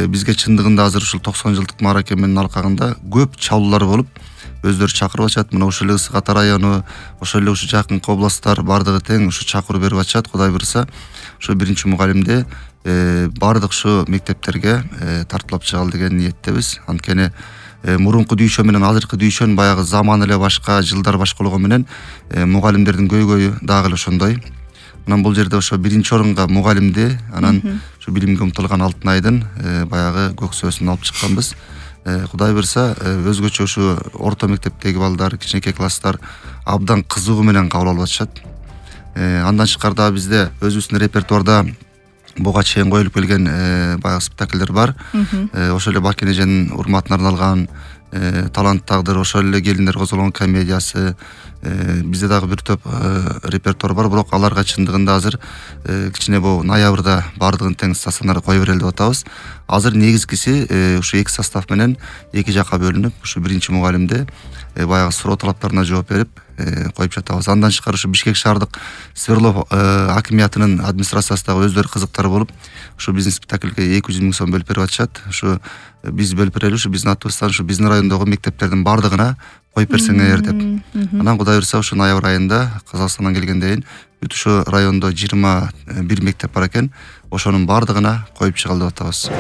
бизге чындыгында азыр ушул 90 жылдык мааракеменин алкагында көп чалуулар болуп, өздөрү чакырып атышат. Мына ушул эле Ысык Ата району, ошол эле ушу жакынкы областтар бардыгы тең ушу чакыруу берип атышат. Кудай буйруса, ушу биринчи мугалимди бардык ушу мектептерге тартуулап чыгалы деген ниеттебиз. Анткени мурунку дүйшө менен азыркы дүйшөнүн баягы заман эле башка, жылдар башкалыгы менен мугалимдердин көйгөйү дагы эле ошондой. Анан бул жерде ошо биринчи орунга мугалимди, анан ушу билимге умтулган Алтын айдын баягы көксөөсүн алып чыкканбыз. Кудай буйруса, өзгөчө ушу орто мектептеги балдар, кичинекей класстар абдан кызыгуу менен кабыл алып атышат. Андан тышкары дагы бизде өзүбүздүн репертуарда буга чейин коюлуп келген баягы спектакльдер бар. Ошол эле Бакен эженин урматына арналган талант тагдыр, ошол эле келиндер козголгон комедиясы, бизде дагы бир топ репертуар бар, бирок аларга чындыгында азыр кичине бул ноябрда бардыгын тең стационарга кое берели деп атабыз. Азыр негизгиси ушу эки состав менен эки жакка бөлүнүп, ушу биринчи мугалимди баягы суроо талаптарына жооп берип коюп жатабыз. Андан тышкары ушу Бишкек шаардык Свердлов акимиятынын администрациясы дагы өздөрү кызыктар болуп, ушу биздин спектакльге 200 000 сом бөлүп берип атышат. Ушу биз бөлүп берели, ушу биздин атыбыздан ушу биздин райондогу мектептердин бардыгына коюп берсеңер деп. Анан Кудай буйруса ушу ноябрь айында Казакстандан келгенден бүт ушу райондо 21 мектеп бар экен. Ошонун бардыгына коюп чыгалы деп атабыз.